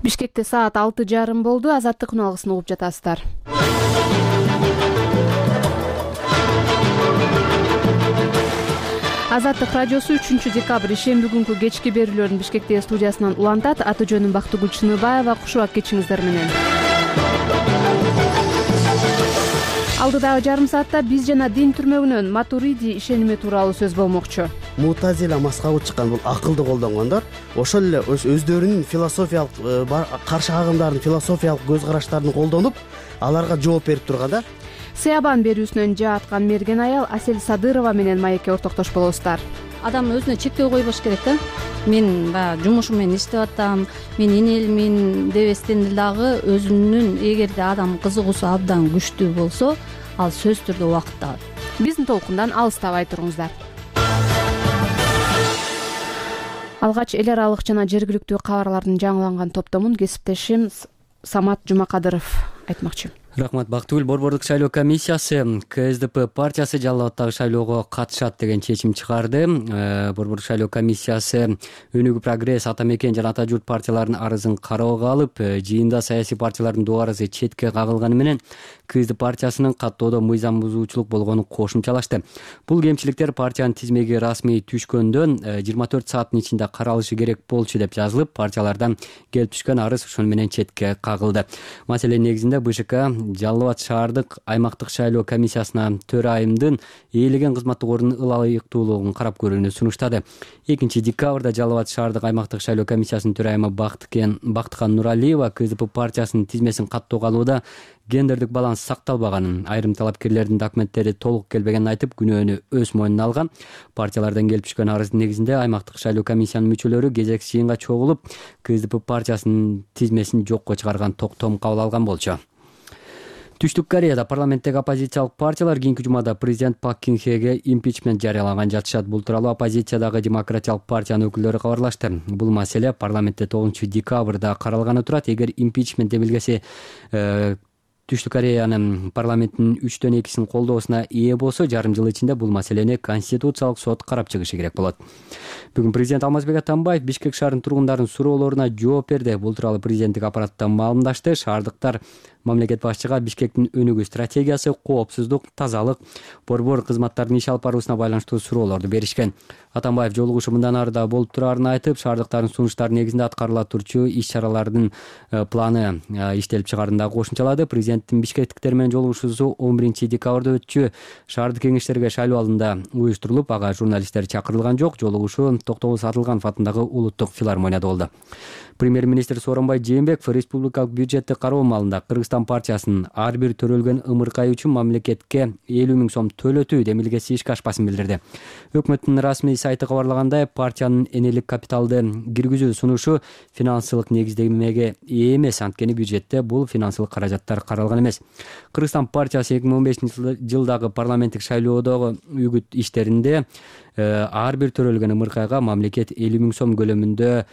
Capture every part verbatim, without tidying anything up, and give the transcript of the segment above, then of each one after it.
Бишкекте саат алты жарым болду. Азаттык үналгысын угуп жатасыздар. Азаттык радиосу үчүнчү декабрь ишемби күнкү кечки берүүлөрүн Бишкектеги студиясынан улантат. Аты жөнүм Бактыгүл Чыныбаева. Кушубак кечиңиздер менен. Алдыдагы жарым саатта биз жана дин түрмөгүнөн Матуриди ишеними тууралуу сөз болмокчу. Мутазила мазхабы чыккан бул акылды колдонгондор ошол эле өздөрүнүн философиялык каршы агымдардын философиялык көз караштарын колдонуп, аларга жооп берип турганда. Сыябан берүүсүнөн жаа аткан мерген аял Асель Садырова менен маекке ортоктош болосуздар. Адам өзүнө чектөө койбош керек да. Мен баягы жумушум менен иштеп атам, мен энелмин дебестен дагы өзүнүн эгерде адам кызыгуусу абдан күчтүү болсо, ал сөзсүз түрдө убакытты алат. Биздин толкундан алыстабай туруңуздар. Алгач эл аралык жана жергиликтүү кабарлардын жаңыланган топтомун кесиптешим Самат Жумакадыров айтмакчы. Рахмат, Бактыгүл. Борбордук шайлоо комиссиясы КСДП партиясы Жалал Абадтагы шайлоого катышат деген чечим чыгарды. Борбордук шайлоо комиссиясы Өнүгүү Прогресс, Ата Мекен жана Ата Журт партияларынын арызын кароого алып, жыйында саясий партиялардын дуарысы четке кагылганы менен КСДП партиясынын каттоодо мыйзам бузуучулук болгонун кошумчалашты. Бул кемчиликтер партиянын тизмеги расмий түшкөндөн жыйырма төрт сааттын ичинде каралышы керек болчу деп жазылып, партиялардан келип түшкөн арыз ошону менен четке кагылды. Маселенин негизинде БШК Жалал Абад шаардык аймактык шайлоо комиссиясына төрайымдын ээлеген кызматтык ордунун ылайыктуулугун карап көрүүнү сунуштады. экинчи декабрда Жалал Абад шаардык аймактык шайлоо комиссиясынын төрайымы Бактыкан Нуралиева КСДП партиясынын тизмесин каттоого алууда гендердик баланс сакталбаганын, айрым талапкерлердин документтери толук келбегенин айтып, күнөөнү өз мойнуна алган. Партиялардан келип түшкөн арыздын негизинде аймактык шайлоо комиссиянын мүчөлөрү кезекси жыйынга чогулуп, КСДП партиясынын тизмесин жокко чыгарган токтом кабыл алган болчу. Түштүк Кореяда парламенттеги оппозициялык партиялар кийинки жумада президент Пак Кын Хеге импичмент жарыялаган жатышат. Бул тууралуу оппозициядагы Демократиялык партиянын өкүлдөрү кабарлашты. Бул маселе парламентте тогузунчу декабрда каралганы турат. Эгер импичмент демилгеси Түштүк Кореянын парламентинин үчтөн экисинин колдоосуна ээ болсо, жарым жыл ичинде бул маселени Конституциялык сот карап чыгышы керек болот. Бүгүн президент Алмазбек Атамбаев Бишкек шаарынын тургундарынын суроолоруна жооп берди. Бул тууралуу президенттик аппараттан маалымдашты. Шаардыктар мамлекет башчыга Бишкектин өнүгүү стратегиясы, коопсуздук, тазалык, борбор кызматтарынын иш алып баруусуна байланыштуу суроолорду беришкен. Атамбаев жолугушу мындан ары да болуп турарын айтып, шаардыктардын сунуштары негизинде аткарыла турчу иш-чаралардын планы иштелип чыгаарын да кошумчалады. Президенттин бишкектиктер менен жолугушуусу он биринчи декабрда өтчү. Шаардык кеңештерге шайлоо алдында уюштурулуп, ага журналисттер чакырылган жок. Жолугушуу Токтогул Атылганов атындагы улуттук филармонияда болду. Премьер-министр Сооронбай Жээнбеков республикалык бюджетти кароо маалында Кыргызстан партиясынын ар бир төрөлгөн ымыркай үчүн мамлекетке элүү миң сом төлөтүү демилгеси ишке ашпасын билдирди. Өкмөттүн расмий сайты кабарлагандай, партиянын энелик капиталды киргизүү сунушу финансылык негиздемеге ээ эмес, анткени бюджетте бул финансылык каражаттар каралган эмес. Кыргызстан партиясы эки миң он бешинчи жылдагы парламенттик шайлоодогу үгүт иштеринде ар бир төрөлгөн ымыркайга мамлекет элүү миң сом көлөмүндө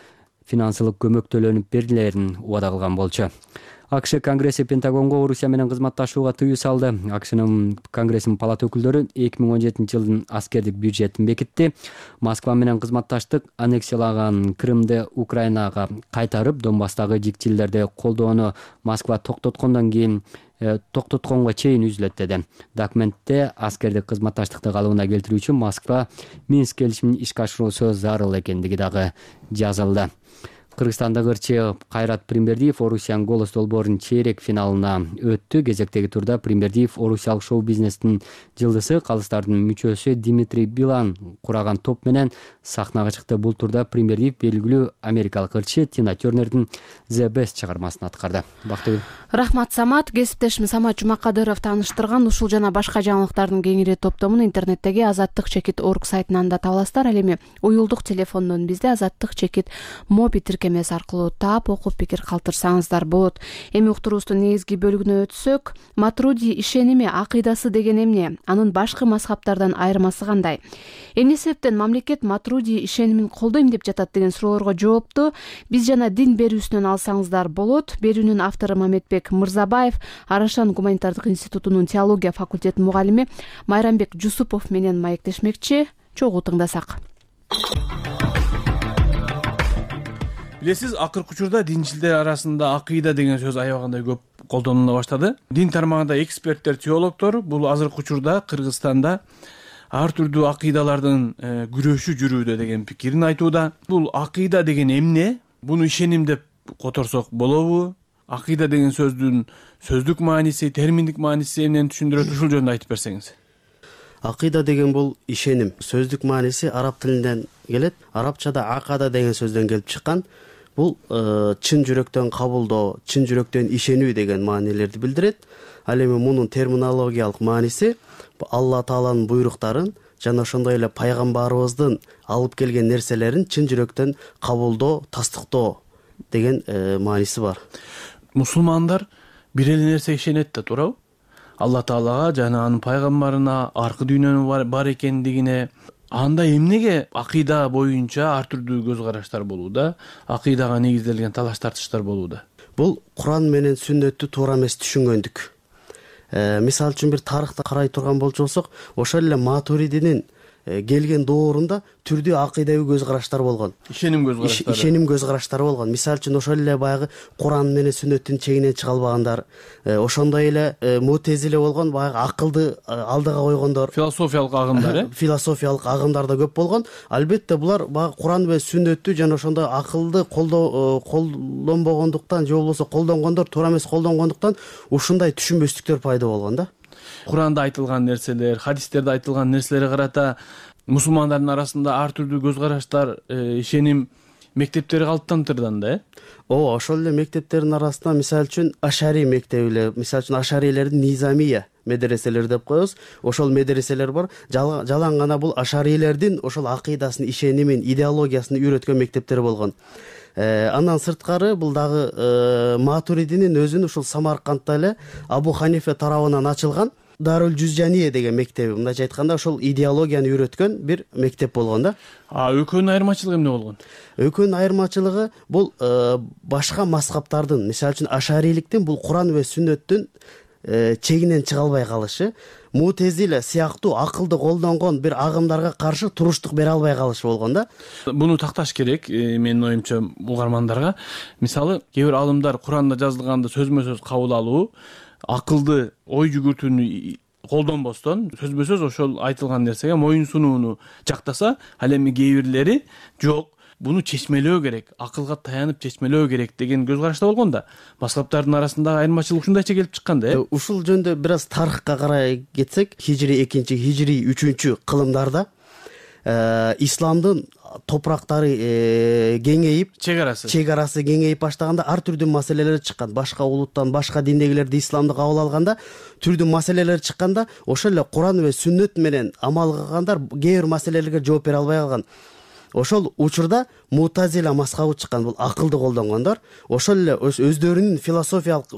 финансылык көмөк төлөнүп берилерин убада кылган болчу. АКШ Конгресси Пентагонго Орусия менен кызматташууга тыюу салды. АКШнын Конгрессинин палата өкүлдөрү эки миң он жетинчи жылдын аскердик бюджетин бекитти. Москва менен кызматташтык аннексиялаган Крымды Украинага кайтарып, Донбасстагы жикчилерди колдоону Москва токтоткондон кийин токтотконго чейин үзүлөт деди. Документте аскердик кызматташтыкты калыбына келтирүү үчүн Москва Минск келишимин ишке ашыруусу зарыл экендиги дагы жазылды. Кыргызстандык ырчы Кайрат Примбердиев Орусиянын голос долбоорунун чейрек финалына өттү. Кезектеги турда Примбердиев орусиялык шоу-бизнестин жылдысы, калыстардын мүчөсү Дмитрий Билан кураган топ менен сахнага чыкты. Бул турда Примбердиев белгилүү америкалык ырчы Тина Тернердин The Best чыгармасын аткарды. Бактыгүл. Рахмат, Самат. Кесиптешим Самат Жумакадыров тааныштырган ушул жана башка жаңылыктардын кеңири топтомун интернеттеги азаттык чекит точка орг сайтынан да таба аласыздар. Ал эми уюлдук телефондон бизде азаттык чекит моби тиркемеси аркылуу таап окуп пикир калтырсаңыздар болот. Эми уктуруубуздун негизги бөлүгүнө өтсөк, Матуриди ишеними, акыйдасы деген эмне? Анын башкы мазхабтардан айырмасы кандай? Эмне себептен мамлекет Матуриди ишенимин колдойм деп жатат деген суроолорго жоопту биз жана дин берүүсүнөн алсаңыздар болот. Берүүнүн автору Мамедбек Мырзабаев, Арашан гуманитардык институтунун теология факультетинин мугалими Майрамбек Жусупов менен маектешмекчи. Чогуу тыңдасак. Билесиз, акыркы учурда динчилдер арасында акыйда деген сөз аябагандай көп колдонула баштады. Дин тармагында эксперттер, теологдор бул азыркы учурда Кыргызстанда ар түрдүү акыйдалардын күрөшү жүрүүдө деген пикирин айтууда. Бул акыйда деген эмне? Буну ишеним деп которсок болобу? Акыйда деген сөздүн сөздүк мааниси, терминдик мааниси эмнени түшүндүрөт? Ушул жөнүндө айтып берсеңиз. Акыйда деген бул ишеним. Сөздүк мааниси араб тилинен келет. Арабчада акада деген сөздөн келип чыккан. Бул чын жүрөктөн кабылдоо, чын жүрөктөн ишенүү деген маанилерди билдирет. Ал эми мунун терминологиялык мааниси Алла Тааланын буйруктарын жана ошондой эле пайгамбарыбыздын алып келген нерселерин чын жүрөктөн кабылдоо, тастыктоо деген мааниси бар. Мусулмандар бир эле нерсеге ишенет да, туурабы? Алла Таалага жана анын пайгамбарына, аркы дүйнөнүн бар экендигине. Анда эмнеге акыйда боюнча ар түрдүү көз караштар болууда, акыйдага негизделген талаш тартыштар болууда? Бул Куран менен сүннөттү туура эмес түшүнгөндүк. Мисалы үчүн бир тарыхты карай турган болчусок, ошол эле Матуридинин келген доорунда түрдүү акыйдабый көз караштар болгон. Ишеним көз караштары. Ишеним көз караштары болгон. Мисалы үчүн ошол эле баягы Куран менен сүннөттүн чегинен чыга албагандар, ошондой эле Мутезиле болгон, баягы акылды алдыга койгондор. Философиялык агымдар, э? Философиялык агымдар да көп болгон. Албетте булар баягы Куран менен сүннөттү жана ошондой акылды колдоо колдонбогондуктан же болбосо колдонгондор туура эмес колдонгондуктан ушундай түшүнбөстүктөр пайда болгон да. Куранда айтылган нерселер, хадистерде айтылган нерселерге карата мусулмандардын арасында ар түрдүү көз караштар, ишеним мектептери калыптанып да, э? Ооба, ошол эле мектептердин арасында мисалы үчүн Ашари мектеби эле, мисалы үчүн Ашарилердин Низамия медреселери деп коебуз. Ошол медреселер бар. Жалаң гана бул Ашарилердин ошол акыйдасын, ишенимин, идеологиясын үйрөткөн мектептер болгон. Андан сырткары бул дагы Матуридинин өзүнүн ушул Самаркандда эле Абу Ханифа тарабынан ачылган Дарул Жузжания деген мектеби, мындайча айтканда ошол идеологияны үйрөткөн бир мектеп болгон да. А экөөнүн айырмачылыгы эмне болгон? Экөөнүн айырмачылыгы бул башка мазхабтардын, мисалы үчүн Ашариликтин бул Куран ва сүннөттүн чегинен чыга албай калышы, Мутезиле сыяктуу акылды колдонгон бир агымдарга каршы туруштук бере албай калышы болгон да. Буну такташ керек, менин оюмча, угармандарга. Мисалы, кээ бир алымдар Куранда жазылганды сөзмө сөз кабыл алуу, акылды ой жүгүртүүнү колдонбостон сөзбө сөз ошол айтылган нерсеге моюн сунууну жактаса, ал эми кээ бирлери жок, буну чечмелөө керек, акылга таянып чечмелөө керек деген көз карашта болгон да. Мазхабтардын арасындагы айырмачылык ушундайча келип чыккан да, э? Ушул жөнүндө бир аз тарыхка карай кетсек, хижри экинчи, хижри үчүнчү кылымдарда исламдын топурактары кеңейип, чек арасы чек арасы кеңейип баштаганда ар түрдүү маселелер чыккан. Башка улуттан, башка диндегилерди исламды кабыл алганда түрдүү маселелер чыкканда, ошол эле Куран ва сүннөт менен амал кылгандар кээ бир маселелерге жооп бере албай калган. Ошол учурда Мутазила мазхабы чыккан, бул акылды колдонгондор. Ошол эле өздөрүнүн философиялык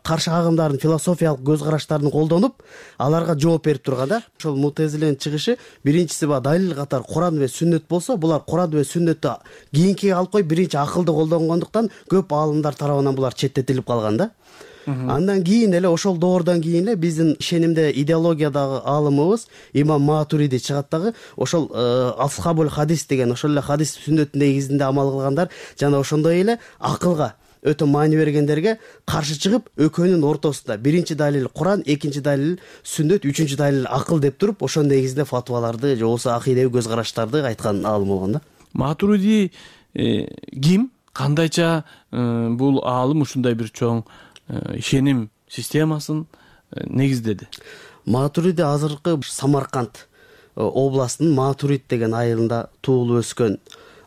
каршы агымдардын философиялык көз караштарын колдонуп, аларга жооп берип турганда, ошол Мутазиленин чыгышы биринчиси ба далил катары Куран ва сүннөт болсо, булар Куран ва сүннөттү кийинкиге алып коюп, биринчи акылды колдонгондуктан көп аалымдар тарабынан булар четтетилип калган да. Андан кийин эле ошол доордон кийин эле биздин ишенимде идеологиядагы аалымыбыз Имам Матуриди чыгат дагы, ошол асхабул хадис деген, ошол эле хадис сүннөттүн негизинде амал кылгандар жана ошондой эле акылга өтө маани бергендерге каршы чыгып, экөөнүн ортосунда биринчи далил Куран, экинчи далил сүннөт, үчүнчү далил акыл деп туруп, ошонун негизинде фатваларды же болбосо акыйдабый көз караштарды айткан аалым болгон да. Матуриди ким? Кандайча бул аалым ушундай бир чоң ишеним системасын негиздеди? Матуриди азыркы Самарканд областынын Матурид деген айылында туулуп өскөн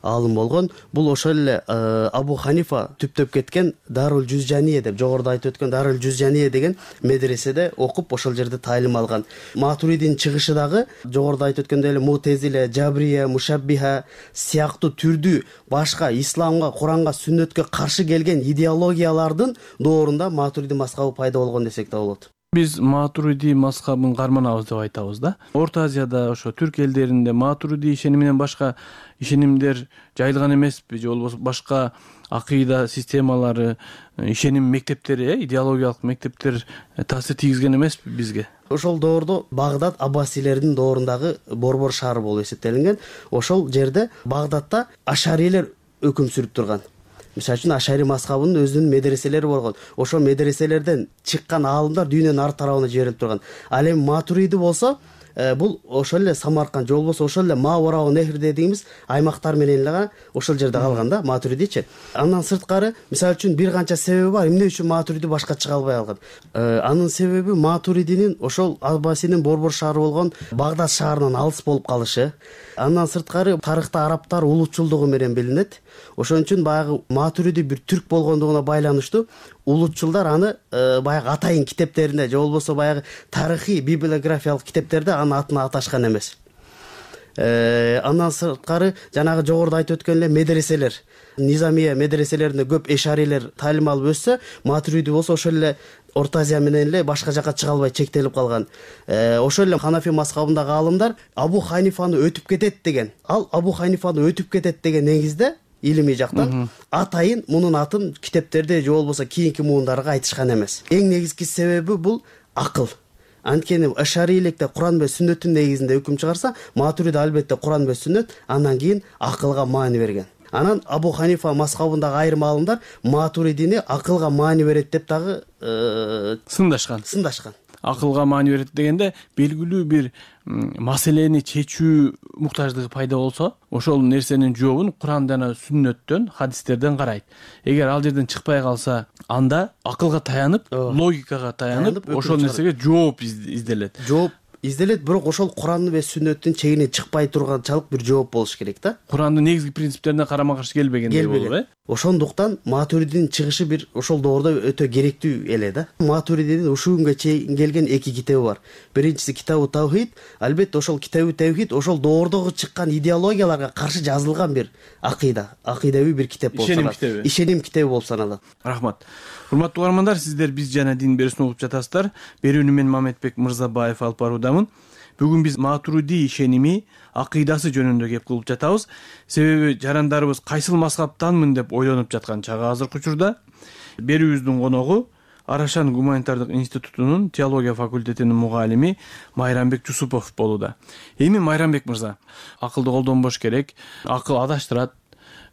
аалым болгон. Бул ошол эле Абу Ханифа түптөп кеткен Дарул Жузжания деп, жогоруда айтып өткөн Дарул Жузжания деген медреседе окуп, ошол жерде таалим алган. Матуридин чыгышы дагы жогоруда айтып өткөндөй эле Мутезиле, Жабрия, Мушаббиха сыяктуу түрдүү башка исламга, Куранга, сүннөткө каршы келген идеологиялардын доорунда Матуриди мазхабы пайда болгон десек да болот. Биз Матуриди мазхабын карманабыз деп айтабыз да. Орто Азияда, ошо түрк элдеринде Матуриди ишениминен башка ишенимдер жайылган эмеспи, же болбосо башка акыйда системалары, ишеним мектептери, идеологиялык мектептер таасир тийгизген эмеспи бизге? Ошол доордо Багдад аббасилердин доорундагы борбор шаары болуп эсептелинген. Ошол жерде Багдадта Ашарилер өкүм сүрүп турган. мисалы үчүн ашари мазхабынын өзүнүн медреселери болгон. Ошол медреселерден чыккан аалымдар дүйнөнүн ар тарабына жиберилип турган. Ал эми матуриди болсо бул ошол эле Самарканд же болбосо ошол эле Маварау Нехр дегенибиз аймактар менен эле ошол жерде калган да матуридичи. Андан сырткары мисалы үчүн бир канча себеби бар эмне үчүн матуриди башка чыга албай калган. Анын себеби матуридинин ошол Аббасинин борбор шаары болгон Багдад шаарынан алыс болуп калышы. Андан сырткары тарыхта арабтар улутчулдугу менен билинет. Ошон үчүн баягы матуриди бир түрк болгондугуна байланыштуу улутчулдар аны баягы атайын китептеринде же болбосо баягы тарыхый библиографиялык китептерде анын атын аташкан эмес. Андан сырткары жанагы жогоруда айтып өткөн эле медреселер, Низамия медреселеринде көп эшарилер таалим алып өссө, матуриди болсо ошол эле Орто Азия менен эле башка жака чыга албай чектелип калган. Ошол эле Ханафи мазхабындагы аалымдар Абу Ханифаны өтүп кетет деген, ал Абу Ханифаны өтүп кетет деген негизде илимий жактан атайын мунун атын китептерде же болбосо кийинки муундарга айтышкан эмес. Эң негизги себеби бул акыл. Анткени ашариликте Куран менен сүннөттүн негизинде өкүм чыгарса, матуриди албетте Куран менен сүннөт, андан кийин акылга маани берген. Анан Абу Ханифа мазхабындагы айрым аалымдар матуридини акылга маани берет деп дагы сындашкан. Сындашкан. Акылга маани берет дегенде белгилүү бир маселени чечүү муктаждыгы пайда болсо, ошол нерсенин жообун Куран жана сүннөттөн, хадистерден карайт. Эгер ал жерден чыкпай калса, анда акылга таянып, логикага таянып, ошол нерсеге жооп изделет. Жооп изделет, бирок ошол Куранды же сүннөттүн чегинен чыкпай турганчалык бир жооп болуш керек да. Курандын негизги принциптерине карама-каршы келбегендей болуп, э? Ошондуктан матуридинин чыгышы бир ошол доордо өтө керектүү эле да. Матуридинин ушул күнгө чейин келген эки китеби бар. Биринчиси Китабу Тавхид, албетте ошол Китабу Тавхид ошол доордогу чыккан идеологияларга каршы жазылган бир акыйда, акыйдавий бир китеп болуп саналат. Ишеним китеби болуп саналат. Рахмат. Урматтуу угармандар, сиздер Биз жана дин берүүсүн угуп жатасыздар. Берүүнү мен Мамедбек Мырзабаев алып баруудамын. Бүгүн биз матуриди ишеними, акыйдасы жөнүндө кеп кылып жатабыз. Себеби жарандарыбыз кайсыл мазхабтанмын деп ойлонуп жаткан чагы азыркы учурда. Берүүбүздүн коногу Арашан гуманитардык институтунун теология факультетинин мугалими Майрамбек Жусупов болууда. Эми Майрамбек мырза, акылды колдонбош керек, акыл адаштырат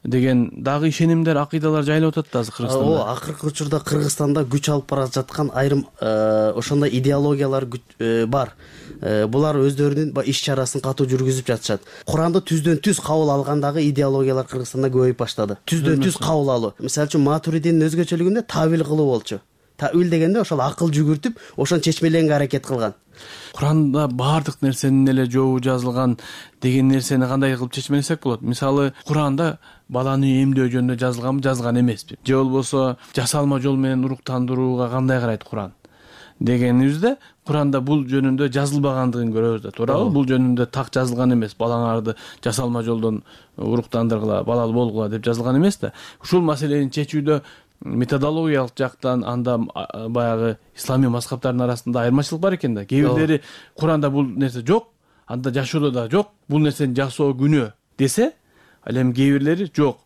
деген дагы ишенимдер, акыйдалар жайылып атат да азыр Кыргызстанда. О, акыркы учурда Кыргызстанда күч алып бара жаткан айрым ошондой идеологиялар бар. Булар өздөрүнүн иш чарасын катуу жүргүзүп жатышат. Куранды түздөн түз кабыл алгандагы идеологиялар Кыргызстанда көбөйүп баштады. Түздөн түз кабыл алуу. Мисалы үчүн матуридинин өзгөчөлүгүндө тавил кылуу болчу. Тавил дегенде ошол акыл жүгүртүп, ошону чечмеленге аракет кылган. Куранда баардык нерсенин эле жообу жазылган деген нерсени кандай кылып чечмелесек болот? Мисалы, Куранда баланы эмдөө жөнүндө жазылганбы, жазылган эмеспи? Же болбосо жасалма жол менен уруктандырууга кандай карайт Куран дегенибизде, Куранда бул жөнүндө жазылбагандыгын көрөбүз да, туурабы? Бул жөнүндө так жазылган эмес. Балаңарды жасалма жолдон уруктандыргыла, балалуу болгула деп жазылган эмес да. Ушул маселени чечүүдө методологиялык жактан анда баягы исламий мазхабтардын арасында айырмачылык бар экен да. Кээ бирлери Куранда бул нерсе жок, анда жашоодо да жок, бул нерсени жасоо күнөө десе, ал эми кээ бирлери жок.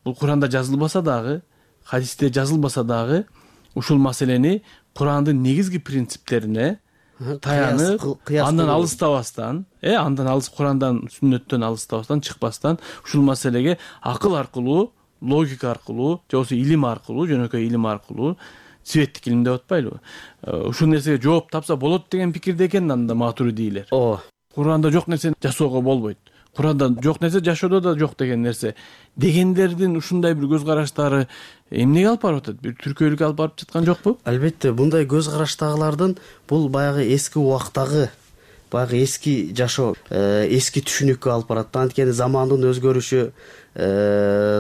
Бул Куранда жазылбаса дагы, хадисте жазылбаса дагы ушул маселени Курандын негизги принциптерине таянып, андан алыстабастан, э, андан алыс Курандан, сүннөттөн алыстабастан, чыкпастан ушул маселеге акыл аркылуу, логика аркылуу, же болбосо илим аркылуу, жөнөкөй илим аркылуу, светтик илим деп атпайлыбы? Ушул нерсеге жооп тапса болот деген пикирде экен анда матуридийлер. Ооба. Куранда жок нерсени жасоого болбойт. Куранда жок нерсе жашоодо да жок деген нерсе. Дегендердин ушундай бир көз караштары эмнеге алып барып атат? Бир түркөйлүккө алып барып жаткан жокпу? Албетте, мындай көз караштагылардын бул баягы эски убактагы, баягы эски жашоо, эски түшүнүккө алып барат. Анткени замандын өзгөрүшү,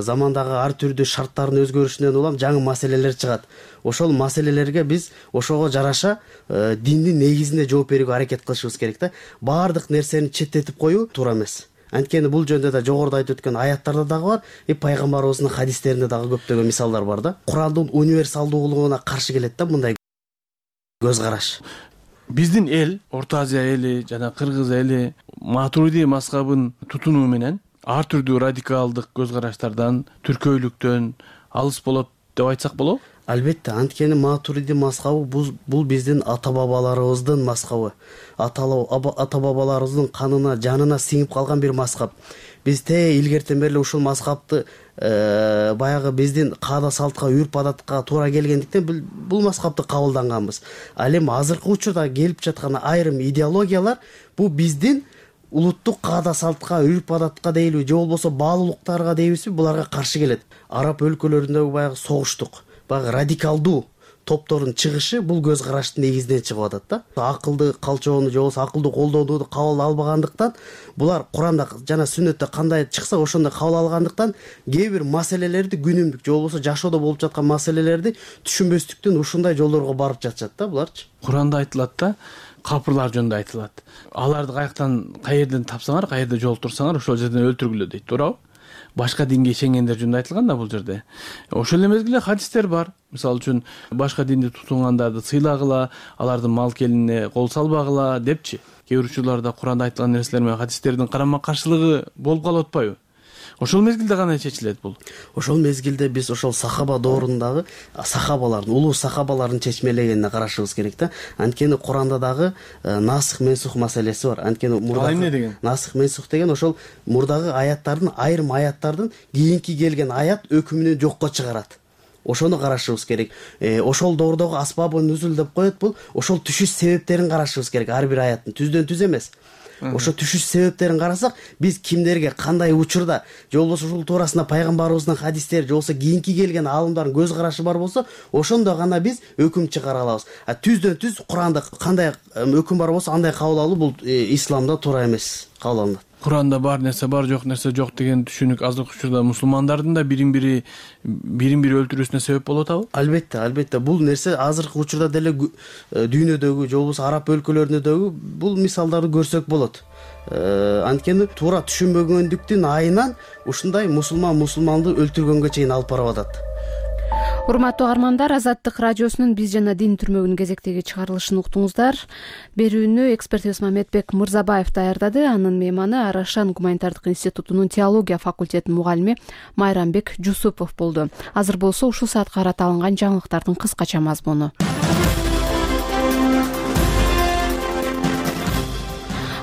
замандагы ар түрдүү шарттардын өзгөрүшүнөн улам жаңы маселелер чыгат. Ошол маселелерге биз ошого жараша диндин негизинде жооп берүүгө аракет кылышыбыз керек да. Баардык нерсени четтетип коюу туура эмес. Анткени бул жөнүндө да жогоруда айтып өткөн аяттарда дагы бар, и пайгамбарыбыздын хадистеринде дагы көптөгөн мисалдар бар да. Курандын универсалдуулугуна каршы келет да мындай көз караш. Биздин эл, Орто Азия эли жана Кыргыз эли матуриди мазхабын тутунуу менен ар түрдүү радикалдык көз караштардан, түркөйлүктөн алыс болот деп айтсак болобу? Албетте, анткени матуриди мазхабы бул биздин ата-бабаларыбыздын мазхабы. Ата-бабаларыбыздын канына, жанына сиңип калган бир мазхаб. биз те илгертен бери эле ушул мазхабты баягы биздин каада салтка, үрп адатка туура келгендиктен бул мазхабты кабылданганбыз. Ал эми азыркы учурда келип жаткан айрым идеологиялар бул биздин улуттук каада салтка, үрп адатка дейбиз, же болбосо баалуулуктарга дейбизби, буларга каршы келет. Араб өлкөлөрүндөгү баягы согуштук, баягы радикалдуу топтордун чыгышы бул көз караштын негизинен чыгып атат да. Акылды калчоону же болбосо акылдуу колдоону кабыл албагандыктан, булар Куранда жана сүннөттө кандай чыкса ошондой кабыл алгандыктан кээ бир маселелерди, күнүмдүк же болбосо жашоодо болуп жаткан маселелерди түшүнбөстүктөн ушундай жолдорго барып жатышат да буларчы. Куранда айтылат да, капырлар жөнүндө айтылат. Аларды каяктан, каерден тапсаңар, каерде жолтурсаңар, ошол жерден өлтүргүлө дейт, туурабы? Башка динге ишенгендер жөнүндө айтылган да бул жерде. Ошол эле мезгилде хадистер бар. Мисалы үчүн башка динди тутунгандарды сыйлагыла, алардын мал келинине кол салбагыла депчи. Кээ бир учурларда Куранда айтылган нерселер менен хадистердин карама каршылыгы болуп калып атпайбы? Ошол мезгилде кандай чечилет бул? Ошол мезгилде биз ошол сахаба доорундагы сахабалардын, улуу сахабалардын чечмелегенине карашыбыз керек да. Анткени Куранда дагы насых менсух маселеси бар. Анткени мурда эмне деген? Насых менсух деген ошол мурдагы аяттардын, айрым аяттардын кийинки келген аят өкүмүнү жокко чыгарат. Ошону карашыбыз керек. Ошол доордогу асбабы нүзүл деп коет, бул ошол түшүш себептерин карашыбыз керек. Ар бир аяттын түздөн түз эмес. Ошо түшүш себептерин карасак, биз кимдерге кандай учурда, же болбосо ушул туурасында пайгамбарыбыздын хадистери, же болбосо кийинки келген аалымдардын көз карашы бар болсо, ошондо гана биз өкүм чыгара алабыз. А түздөн түз Куранда кандай өкүм бар болсо, андай кабыл алуу бул исламда туура эмес кабыл алынат. Куранда бар нерсе бар, жок нерсе жок деген түшүнүк азыркы учурда мусулмандардын да бирин бири бирин бири өлтүрүүсүнө себеп болуп атабы? Албетте, албетте. Бул нерсе азыркы учурда деле дүйнөдөгү, же болбосо араб өлкөлөрүндөгү бул мисалдарды көрсөк болот. Анткени туура түшүнбөгөндүктүн айынан ушундай мусулман мусулманды өлтүргөнгө чейин алып барып атат. Урматтуу каармандар, Азаттык радиосунун Биз жана дин түрмөгүнүн кезектеги чыгарылышын уктуңуздар. Берүүнү экспертибиз Мамедбек Мырзабаев даярдады. Анын мейманы Арашан гуманитардык институтунун теология факультетинин мугалими Майрамбек Жусупов болду. Азыр болсо ушул саатка карата алынган жаңылыктардын кыскача мазмуну.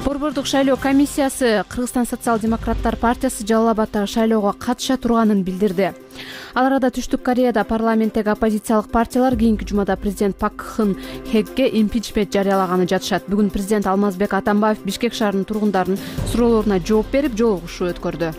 Борбордук шайлоо комиссиясы Кыргызстан социал-демократтар партиясы Жалал Абаддагы шайлоого катыша турганын билдирди. Ал арада Түштүк Кореяда парламенттеги оппозициялык партиялар кийинки жумада президент Пак Кын Хеге импичмент жарыялаганы жатышат. Бүгүн президент Алмазбек Атамбаев Бишкек шаарынын тургундарынын суроолоруна жооп берип, жолугушуу өткөрдү.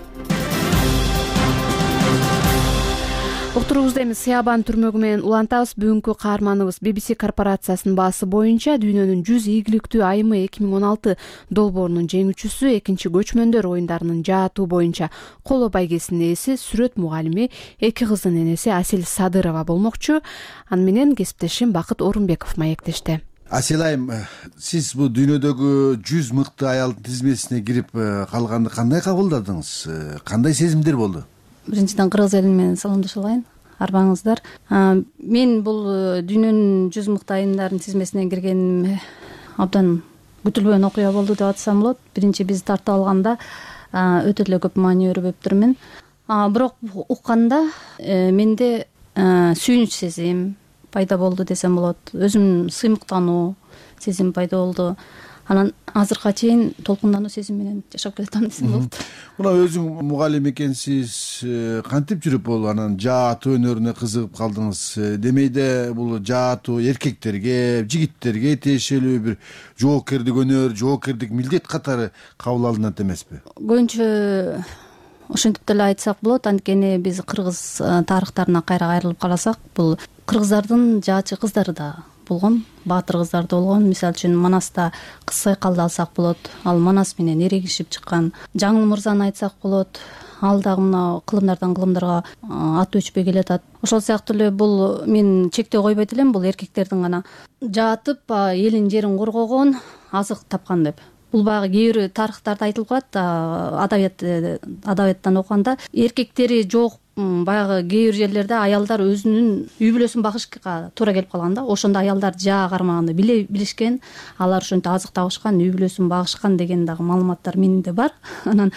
Уктуруубузду эми Сыябан түрмөгү менен улантабыз. Бүгүнкү каарманыбыз би би си корпорациясынын баасы боюнча дүйнөнүн жүз ийгиликтүү айымы эки миң он алты долбоорунун жеңүүчүсү, экинчи көчмөндөр оюндарынын жаатуу боюнча коло байгесинин ээси, сүрөт мугалими, эки кыздын энеси Асел Садырова болмокчу. Аны менен кесиптешим Бакыт Орунбеков маектешти. Асел айым, сиз бул дүйнөдөгү жүз мыкты аялдын тизмесине кирип калганды кандай кабылдадыңыз? Кандай сезимдер болду? Биринчиден кыргыз эли менен саламдашып алайын. Арбаңыздар. Мен бул дүйнөнүн жүз мыкты айымдардын тизмесине киргеним абдан күтүлбөгөн окуя болду деп атсам болот. Биринчи биз тартып алганда өтө эле көп маани өрбөптүрмүн. Бирок укканда менде сүйүнүч сезим пайда болду десем болот. Өзүм сыймыктануу сезим пайда болду. Анан азыркыга чейин толкундануу сезим менен жашап келатам десем болот. Мына өзүң мугалим экенсиз, кантип жүрүп бул анан жаатуу өнөрүнө кызыгып калдыңыз? Демейде бул жаатуу эркектерге, жигиттерге тиешелүү бир жоокердик өнөр, жоокердик милдет катары кабыл алынат эмеспи? Көбүнчө ошентип деле айтсак болот. Анткени биз кыргыз тарыхтарына кайра кайрылып карасак, бул кыргыздардын жаачы кыздары да болгон, баатыр кыздар да болгон. Мисалы үчүн Манаста Кыз Сайкалды алсак болот. Ал Манас менен эрегишип чыккан. Жаңыл мырзаны айтсак болот. Ал дагы мына кылымдардан кылымдарга аты өчпөй келатат. Ошол сыяктуу эле бул мен чектөө койбойт элем, бул эркектердин гана жаатып элин жерин коргогон, азык тапкан деп. Бул баягы кээ бир тарыхтарда айтылып калат, адабият адабияттан окуганда эркектери жок баягы кээ бир жерлерде аялдар өзүнүн үй бүлөсүн багышка туура келип калган да. Ошондо аялдар жаа кармаганды биле билишкен, алар ошентип азык табышкан, үй бүлөсүн багышкан деген дагы маалыматтар менде бар. Анан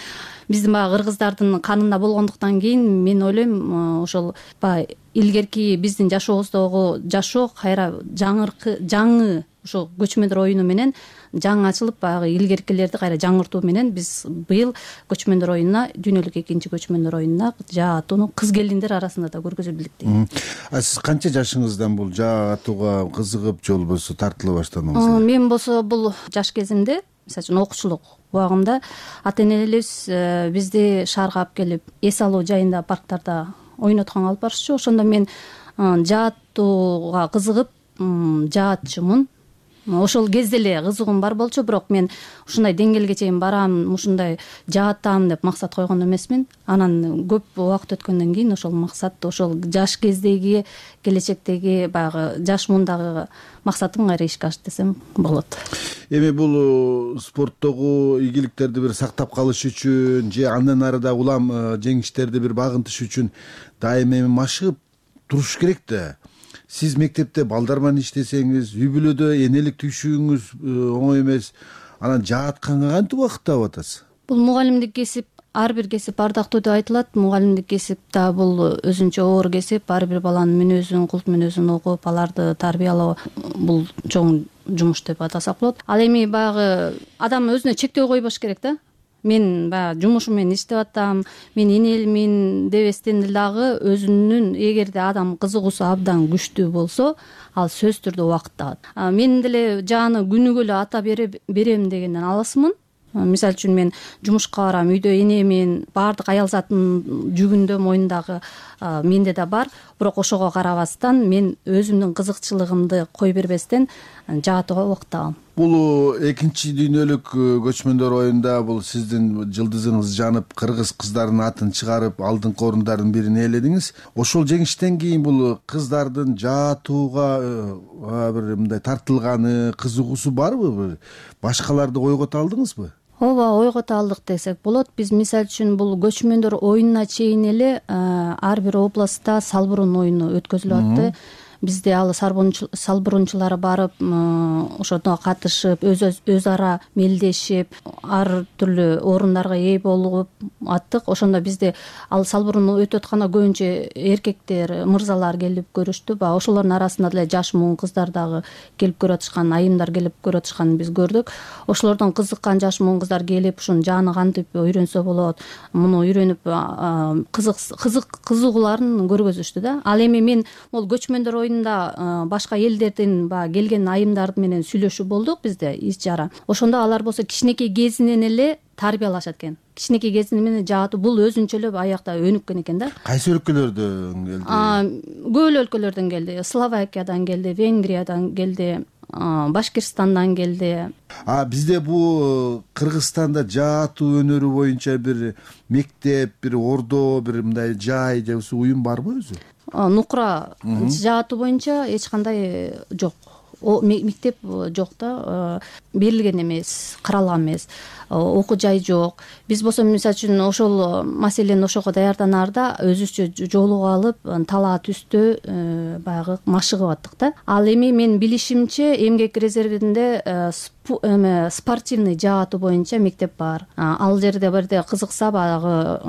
биздин баягы кыргыздардын канында болгондуктан кийин мен ойлойм, ошол баягы илгерки биздин жашообуздогу жашоо кайра жаңыркы жаңы ошо көчмөндөр оюну менен жаңы ачылып баягы илгеркилерди кайра жаңыртуу менен биз быйыл көчмөндөр оюнуна дүйнөлүк экинчи көчмөндөр оюнуна жаа атууну кыз келиндер арасында да көргөзө билдик дейм. А сиз канча жашыңыздан бул жаа атууга кызыгып же болбосо тартыла баштадыңыз? Мен болсо бул жаш кезимде, мисалы үчүн окуучулук убагымда ата энелерибиз бизди шаарга алып келип эс алуу жайында парктарда ойнотконго алып барышчу. Ошондо мен жаа атууга кызыгып жаатчумун. Ошол кезде эле кызыгуум бар болчу, бирок мен ушундай деңгээлге чейин барам, ушундай жаатам деп максат койгон эмесмин. Анан көп убакыт өткөндөн кийин ошол максат, ошол жаш кездеги, келечектеги баягы жаш мундагы максатым кайра ишке ашты десем болот. Эми бул спорттогу ийгиликтерди бир сактап калыш үчүн же андан ары да улам жеңиштерди бир багынтыш үчүн дайыма эми машыгып туруш керек да. Сиз мектепте балдар менен иштесеңиз, үй бүлөдө энелик түйшүгүңүз оңой эмес. Анан жаатканга кантип убакыт таап атасыз? Бул мугалимдик кесип, ар бир кесип ардактуу деп айтылат. Мугалимдик кесип да бул өзүнчө оор кесип, ар бир баланын мүнөзүн, култ мүнөзүн угуп, аларды тарбиялоо бул чоң жумуш деп атасак болот. Ал эми баягы адам өзүнө чектөө койбош керек да. Мен баягы жумушум менен иштеп атам, мен энелимин дебестен дагы өзүнүн эгерде адам кызыгуусу абдан күчтүү болсо, ал сөзсүз түрдө убакыт табат. Мен деле жааны күнүгө эле ата берем дегенден алысмын. Мисалы үчүн мен жумушка барам, үйдө энемин, баардык аял затын жүгүндө мойнундагы менде да бар. Бирок ошого карабастан мен өзүмдүн кызыкчылыгымды кой бербестен жаатууга убакыт табам. Бул экинчи дүйнөлүк көчмөндөр оюнда бул сиздин жылдызыңыз жанып, кыргыз кыздарынын атын чыгарып, алдыңкы орундардын бирин ээледиңиз. Ошол жеңиштен кийин бул кыздардын жаатууга бир мындай тартылганы, кызыгуусу барбы? Башкаларды ойгото алдыңызбы? Ооба, ойгото алдык десек болот. Биз мисалы үчүн бул көчмөндөр оюнуна чейин эле ар бир областта салбырун оюну өткөзүлүп атты. Бизде ал салбырунчулары барып, ошондо катышып, өз ара мелдешип, ар түрлүү орундарга ээ болуп аттык. Ошондо бизде ал салбыруну өтүп атканда көбүнчө эркектер, мырзалар келип көрүштү. Баягы ошолордун арасында деле жаш муун кыздар дагы келип көрүп атышкан, айымдар келип көрүп атышканын биз көрдүк. Ошолордон кызыккан жаш муун кыздар келип, ушуну жааны кантип үйрөнсө болот, муну үйрөнүп кызык кызык кызыгууларын көргөзүштү да. Ал эми мен могул көчмөндөр оюнунда башка элдердин баягы келген айымдар менен сүйлөшүү болдук бизде иш чара. Ошондо алар болсо кичинекей кезинен эле тарбиялашат экен. Кичинекей кезинен менен жаатуу бул өзүнчө эле аякта өнүккөн экен да. Кайсы өлкөлөрдөн келди? Көп эле өлкөлөрдөн келди. Словакиядан келди, Венгриядан келди, Башкирстандан келди. А бизде бул Кыргызстанда жаатуу өнөрү боюнча бир мектеп, бир ордо, бир мындай жай же уюм барбы өзү? Нукра жаатуу боюнча эч кандай жок. Мектеп жок да, берилген эмес, каралган эмес, окуу жай жок. Биз болсо мисалы үчүн ошол маселени ошого даярданаарда өзүбүзчө жоолук алып, талаа түстө баягы машыгып аттык да. Ал эми мен билишимче эмгек резервинде эме спортивный жаатуу боюнча мектеп бар. Ал жерде бирде кызыкса баягы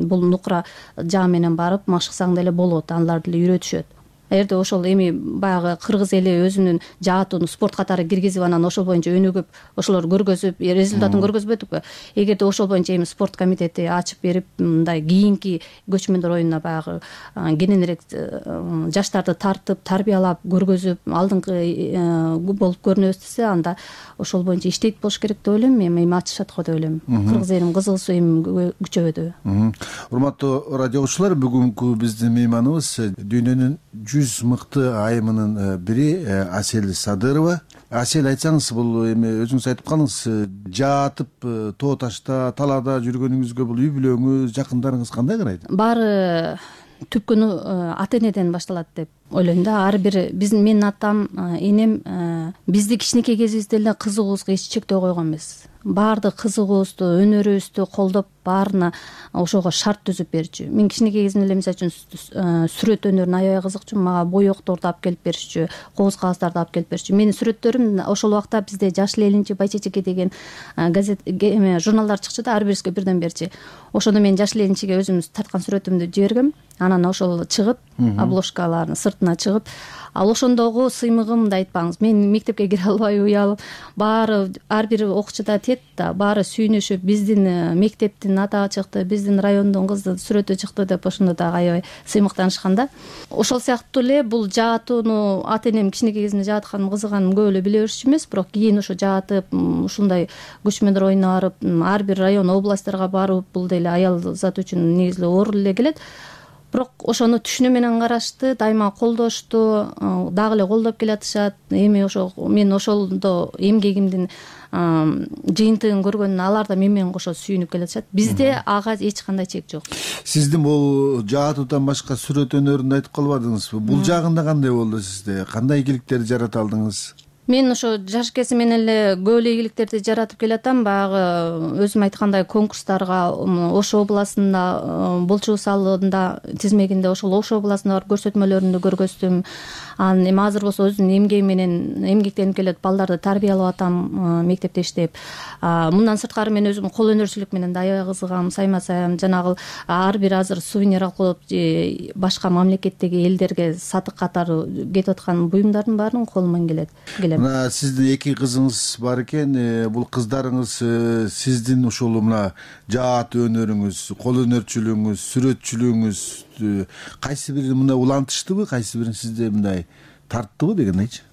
бул нукра жаа менен барып машыксаң деле болот, алар деле үйрөтүшөт. Эгерде ошол эми баягы кыргыз эли өзүнүн жаатууну спорт катары киргизип, анан ошол боюнча өнүгүп, ошолор көргөзүп, результатын көргөзбөдүкпү? Эгерде ошол боюнча эми спорт комитети ачып берип, мындай кийинки көчмөндөр оюнуна баягы кененирээк жаштарды тартып, тарбиялап, көргөзүп, алдыңкы болуп көрүнөбүз десе, анда ошол боюнча иштейт болуш керек деп ойлойм. Эми эми ачышат го деп ойлойм. Кыргыз элинин кызыгуусу эми күчөбөдү. Урматтуу радио угуучулар, бүгүнкү биздин мейманыбыз дүйнөнүн жүз мыкты айымынын бири Асель Садырова. Асель, айтсаңыз, бул эми өзүңүз айтып калдыңыз, жаатып тоо ташта, талаада жүргөнүңүзгө бул үй бүлөңүз, жакындарыңыз кандай карайт? Баары түпкүнү ата энеден башталат деп ойлойм да. Ар бир биздин менин атам, энем бизди кичинекей кезибизде эле кызыгуубузга эч чектөө койгон эмес. баардык кызыгуубузду, өнөрүбүздү колдоп баарына ошого шарт түзүп берчү. Мен кичинекей кезимде эле мисалы үчүн сүрөт өнөрүнө аябай кызыкчумун. Мага боекторду алып келип беришчү, кооз кагаздарды алып келип беришчү. Менин сүрөттөрүм ошол убакта бизде Жашыл элинчи, Байчечеке деген газет эме журналдар чыкчу да, ар бирибизге бирден берчи. Ошондо мен Жашыл элинчиге өзүм тарткан сүрөтүмдү жибергем. Анан ошол чыгып, обложкаларынын сыртына чыгып, ал ошондогу сыймыгымды айтпаңыз. Мен мектепке кире албай уялып, баары ар бир окуучуда тет да, баары сүйүнүшүп, биздин мектептин атагы чыкты, биздин райондун кызы сүрөтү чыкты деп ошондо дагы аябай сыймыктанышкан да. Ошол сыяктуу эле бул жаатууну ата энем кичинекей кезимде жаатканым, кызыганым көп эле биле берчү эмес, бирок кийин ошо жаатып, ушундай күч менен ойно барып, ар бир район, областьтарга барып, бул деле аял зат үчүн негизи оор эле келет. Бирок ошону түшүнүү менен карашты, дайыма колдошту, дагы эле колдоп келатышат. Эми ошо мен ошолдо эмгегимдин жыйынтыгын көргөндөн алар да мен менен кошо сүйүнүп келатышат. Бизде ага эч кандай чек жок. Сиздин бул жаатуудан башка сүрөт өнөрүндү айтып калбадыңызбы? Бул жагында кандай болду сизде? Кандай ийгиликтерди жарата алдыңыз? Мен ошо жаш кезим менен эле көп эле ийгиликтерди жаратып келатам. Баягы өзүм айткандай конкурстарга Ош областында, Болчу салында тизмегинде ошол Ош областында барып көрсөтмөлөрүмдү көргөздүм. Анан эми азыр болсо өзүмдүн эмгегим менен эмгектенип келет, балдарды тарбиялап атам мектепте иштеп. Мындан сырткары мен өзүм кол өнөрчүлүк менен да аябай кызыгам, сайма саям, жанагы ар бир азыр сувенир алып башка мамлекеттеги элдерге сатык катары кетип аткан буюмдардын баарын колуман келет. Мына сиздин эки кызыңыз бар экен. Бул кыздарыңыз сиздин ушул мына жаат өнөрүңүз, кол өнөрчүлүгүңүз, сүрөтчүлүгүңүз кайсы бирин мындай улантыштыбы, кайсы бирин сизде мындай тарттыбы дегендейчи?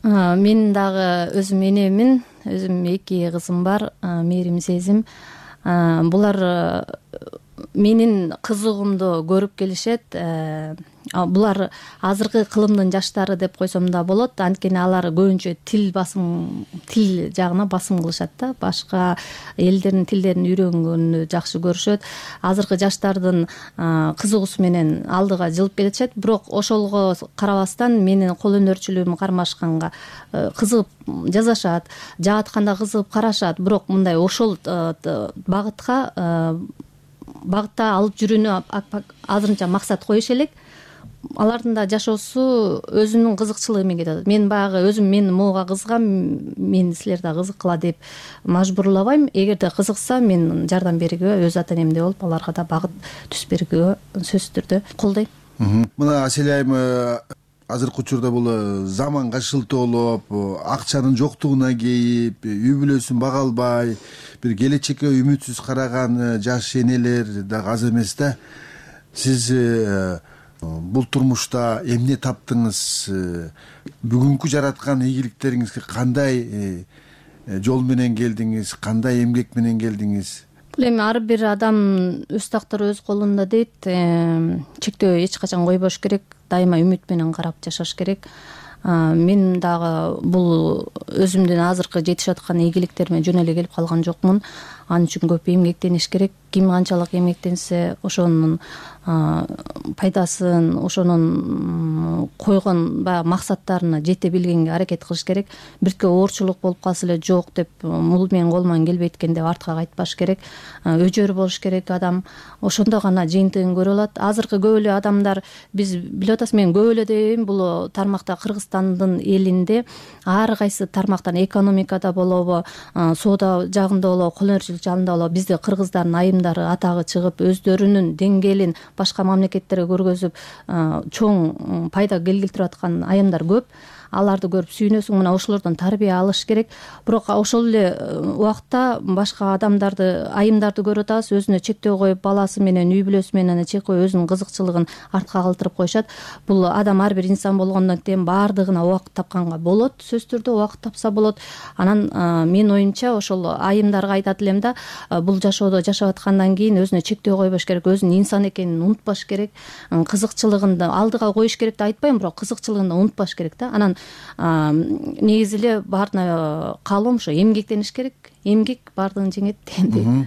Мен дагы өзүм энемин, өзүм эки кызым бар, Мээрим, Сезим. Булар менин кызыгуумду көрүп келишет. Булар азыркы кылымдын жаштары деп койсом да болот. Анткени алар көбүнчө тил басым, тил жагына басым кылышат да. Башка элдердин тилдерин үйрөнгөнү жакшы көрүшөт. Азыркы жаштардын кызыгуусу менен алдыга жылып келишет. Бирок ошолго карабастан менин кол өнөрчүлүгүм кармашканга кызыгып жазашат, жаатканда кызыгып карашат. Бирок мындай ошол багытка багытта алып жүрүүнү азырынча максат коюш элек. Алардын да жашоосу өзүнүн кызыкчылыгы менен кетет. Мен баягы өзүм мен могуга кызыгам, мен силер да кызыккыла деп мажбурлабайм. Эгерде кызыкса мен жардам бергөгө, өз ата энемдей болуп, аларга да багыт түзүп бергөгө сөзсүз түрдө колдойм. Мына Аселя айым, азыркы учурда бул заманга шылтоолоп, акчанын жоктугуна кейип, үй бүлөсүн бага албай, бир келечекке үмүтсүз караган жаш энелер дагы аз эмес да. Сиз бул турмушта эмне таптыңыз? Бүгүнкү жараткан ийгиликтериңизге кандай жол менен келдиңиз? Кандай эмгек менен келдиңиз? Бул эми ар бир адам өз тактыры өз колунда дейт. Чектөө эч качан койбош керек, дайыма үмүт менен карап жашаш керек. Мен дагы бул өзүмдүн азыркы жетишип аткан ийгиликтериме жөн эле келип калган жокмун. Ал үчүн көп эмгектениш керек. Ким канчалык эмгектенсе, ошонун пайдасын, ошонун койгон баягы максаттарына жете билгенге аракет кылыш керек. Бирке оорчулук болуп калса эле жок деп, бул менин колуман келбейт экен деп артка кайтпаш керек. Өжөр болуш керек адам. Ошондо гана жыйынтыгын көрө алат. Азыркы көп эле адамдар, биз билип атасыз, мен көп эле дейм, бул тармакта Кыргызстандын элинде ар кайсы тармактан, экономикада болобу, соода жагында болобу, кол өнөрчүлүк жагында болобу, бизде кыргыздардын айымдары атагы чыгып, өздөрүнүн деңгээлин башка мамлекеттерге көргөзүп, чоң пайда келтирип аткан айымдар көп. Аларды көрүп сүйүнөсүң, мына ошолордон тарбия алыш керек. Бирок ошол эле убакта башка адамдарды, айымдарды көрүп атабыз, өзүнө чектөө коюп, баласы менен, үй бүлөсү менен чек коюп, өзүнүн кызыкчылыгын артка калтырып коюшат. Бул адам ар бир инсан болгондон кийин баардыгына убакыт тапканга болот, сөзсүз түрдө убакыт тапса болот. Анан менин оюмча ошол айымдарга айтат элем да, бул жашоодо жашап аткандан кийин өзүнө чектөө койбош керек, өзүнүн инсан экенин унутпаш керек, кызыкчылыгын да алдыга коюш керек деп айтпайм, бирок кызыкчылыгын да унутпаш керек да. Анан негизи эле баарына каалоом ошо эмгектениш керек. Эмгек баардыгын жеңет дегендей.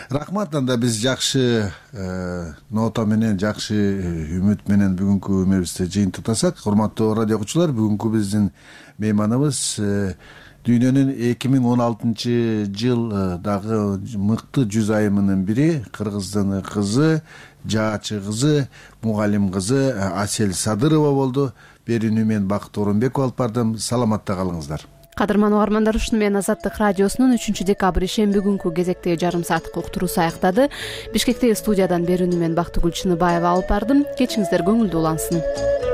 Рахмат. Анда биз жакшы нота менен, жакшы үмүт менен бүгүнкү эмебизди жыйынтыктасак. Урматтуу радио окуучулар, бүгүнкү биздин мейманыбыз дүйнөнүн эки миң он алтынчы жылдагы мыкты жүз айымынын бири кыргыздын кызы, жаачы кызы, мугалим кызы Асель Садырова болду. Берүүнү мен Бакыт Оронбеков алып бардым. Саламатта калыңыздар. Кадырман угармандар, ушуну менен Азаттык радиосунун үчүнчү декабрь ишемби күнкү кезектеги жарым сааттык уктуруусу аяктады. Бишкектеги студиядан берүүнү мен Бактыгүл Чыныбаева алып бардым. Кечиңиздер көңүлдүү улансын.